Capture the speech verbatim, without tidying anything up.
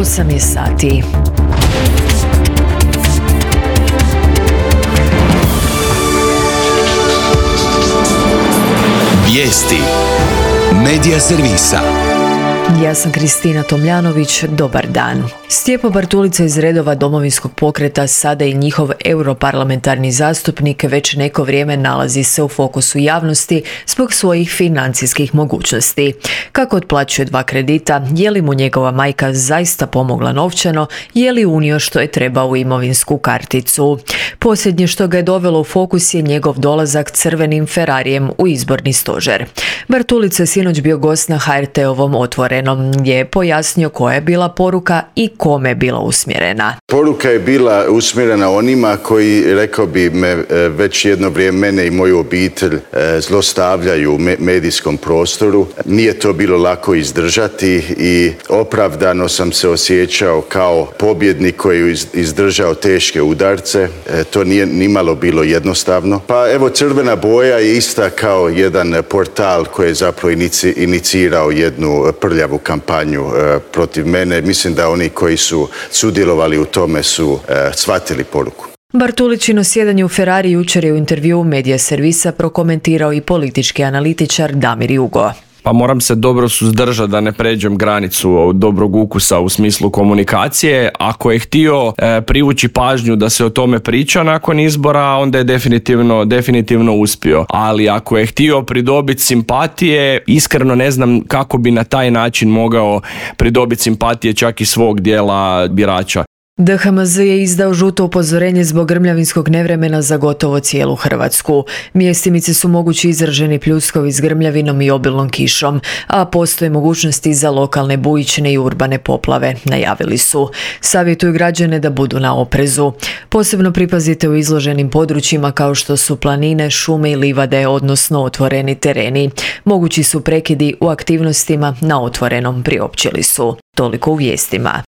osam je sati. Vijesti Medija servisa. Ja sam Kristina Tomljanović, dobar dan. Stjepo Bartulica iz redova Domovinskog pokreta, sada i njihov europarlamentarni zastupnik, već neko vrijeme nalazi se u fokusu javnosti zbog svojih financijskih mogućnosti. Kako otplaćuje dva kredita, je li mu njegova majka zaista pomogla novčano, je li unio što je trebao u imovinsku karticu. Posljednje što ga je dovelo u fokus je njegov dolazak crvenim Ferrarijem u izborni stožer. Bartulica je sinoć bio gost na ha er te-ovom Otvorenom, gdje je pojasnio koja je bila poruka i kome je bila usmjerena. Poruka je bila usmjerena onima koji, rekao bi, me već jedno vrijeme mene i moju obitelj zlostavljaju u medijskom prostoru. Nije to bilo lako izdržati i opravdano sam se osjećao kao pobjednik koji je izdržao teške udarce. To nije nimalo bilo jednostavno. Pa evo, crvena boja je ista kao jedan portal koji je zapravo inicirao jednu prljavu kampanju protiv mene. Mislim da oni koji su sudjelovali u tome su shvatili poruku. Bartulićino sjedanje u Ferrari jučer je u intervjuu Medija servisa prokomentirao i politički analitičar Damir Jugo. Pa moram se dobro suzdržati da ne pređem granicu dobrog ukusa u smislu komunikacije. Ako je htio e, privući pažnju da se o tome priča nakon izbora, onda je definitivno, definitivno uspio. Ali ako je htio pridobiti simpatije, iskreno ne znam kako bi na taj način mogao pridobiti simpatije čak i svog dijela birača. de ha em ze je izdao žuto upozorenje zbog grmljavinskog nevremena za gotovo cijelu Hrvatsku. Mjestimice su mogući izraženi pljuskovi s grmljavinom i obilnom kišom, a postoje mogućnosti za lokalne bujične i urbane poplave, najavili su. Savjetuju građane da budu na oprezu. Posebno pripazite u izloženim područjima kao što su planine, šume i livade, odnosno otvoreni tereni. Mogući su prekidi u aktivnostima na otvorenom, priopćili su. Toliko u vijestima.